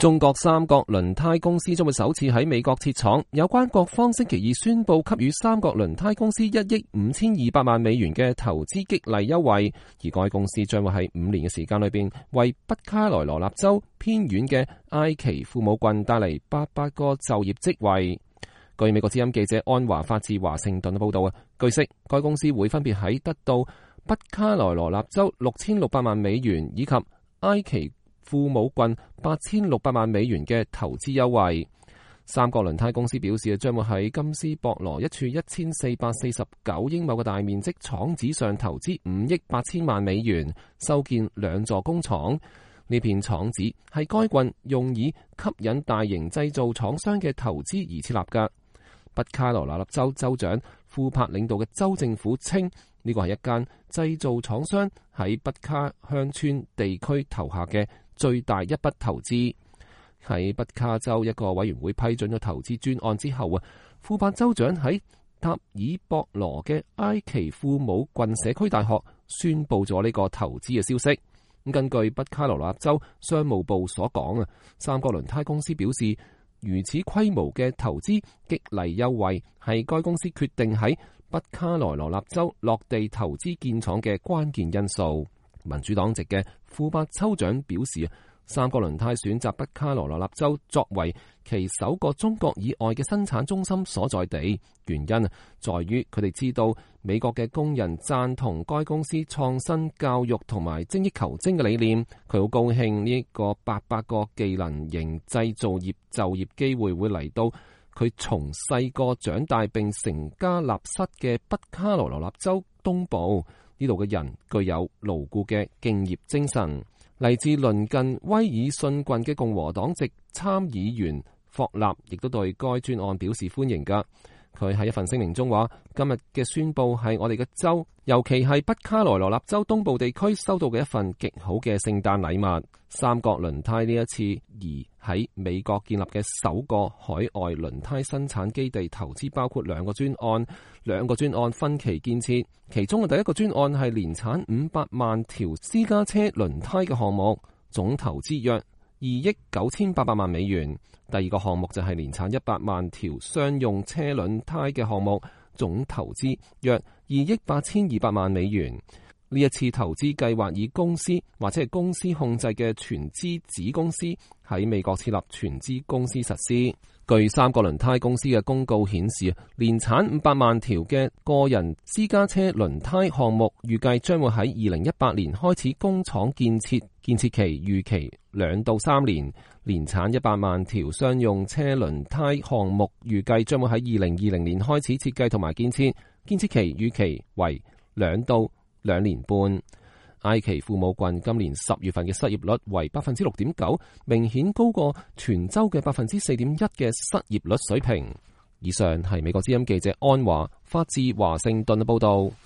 中國三角輪胎公司將會首次喺美國設廠，有關各方星期二宣布給予三角輪胎公司1億5200萬美元嘅投資激勵優惠，而該公司將會喺5年嘅時間裏邊為北卡羅來納州偏遠嘅埃奇庫姆郡帶嚟800個就業職位。據美國之音記者安華發自華盛頓嘅報道，據悉該公司會分別喺得到北卡羅來納州6600萬美元以及埃奇庫姆郡8600萬美元嘅投資優惠。三角輪胎公司表示，將會喺金斯博羅一處1449英畝嘅大面積廠址上投資5億8000萬美元，修建2座工廠。呢片廠址係該郡用以吸引大型製造廠商嘅投資而設立嘅。北卡羅來納州州長庫珀領導嘅州政府稱，呢個係一間製造廠商喺北卡鄉村地區投下嘅最大一筆投資。喺北卡州一個委員會批准咗投資專案之後庫珀州長喺塔爾博羅嘅埃奇庫姆郡社區大學宣布咗呢個投資嘅消息。根據北卡羅來納州商務部所講三角輪胎公司表示，如此規模嘅投資激勵優惠係該公司決定喺北卡羅來納州落地投資建廠嘅關鍵因素。民主黨籍嘅庫珀州長表示，三角輪胎選擇北卡羅來納州作為其首個中國以外嘅生產中心所在地，原因在於佢哋知道美國嘅工人贊同該公司創新教育同埋精益求精嘅理念。佢好高興呢個800個技能型製造業就業機會會嚟到佢從細個長大並成家立室嘅北卡羅來納州東部。呢度嘅人具有牢固嘅敬業精神。嚟自鄰近威爾遜郡嘅共和黨籍參議員霍納亦都對該專案表示歡迎㗎。佢喺一份聲明中話，今日嘅宣佈係我哋嘅州，尤其係北卡羅來納州東部地區收到嘅一份極好嘅聖誕禮物。三角輪胎呢一次而喺美國建立嘅首個海外輪胎生產基地投資包括2個專案，2個專案分期建設，其中嘅第一個專案係年產500萬條私家車輪胎嘅項目，總投資約2億9800萬美元。第二個項目就係年產100萬條商用車輪胎嘅項目，總投資約2億8200萬美元。呢一次投資計劃以公司或者係公司控制嘅全資子公司喺美國設立全資公司實施。據三角輪胎公司嘅公告顯示，年產500萬條嘅個人私家車輪胎項目預計將會喺2018年開始工廠建設，建設期預期2到3年。年產100萬條商用車輪胎項目預計將會喺2020年開始設計同埋建設，建設期預期為2到2年半。埃奇庫姆郡今年10月份嘅失業率為 6.9%， 明顯高過全州嘅 4.1% 嘅失業率水平。以上係美國之音記者安華發自華盛頓嘅報道。